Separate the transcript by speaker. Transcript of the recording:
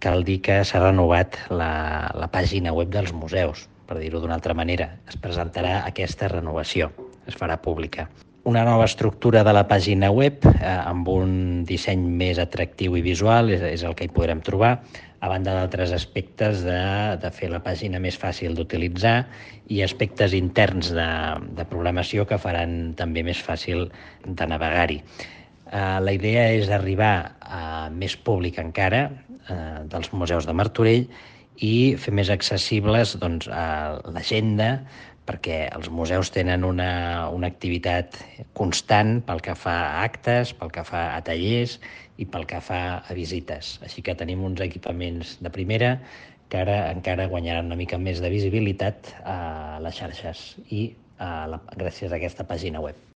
Speaker 1: cal dir que s'ha renovat la pàgina web dels museus, per dir-ho d'una altra manera. Es presentarà aquesta renovació, es farà pública. Una nova estructura de la pàgina web amb un disseny més atractiu i visual és el que hi podrem trobar, a banda d'altres aspectes de fer la pàgina més fàcil d'utilitzar i aspectes interns de programació que faran també més fàcil de navegar-hi. La idea és arribar a més públic encara dels museus de Martorell i fer més accessibles l'agenda, perquè els museus tenen una activitat constant pel que fa a actes, pel que fa a tallers i pel que fa a visites. Així que tenim uns equipaments de primera que ara encara guanyaran una mica més de visibilitat a les xarxes i gràcies a aquesta pàgina web.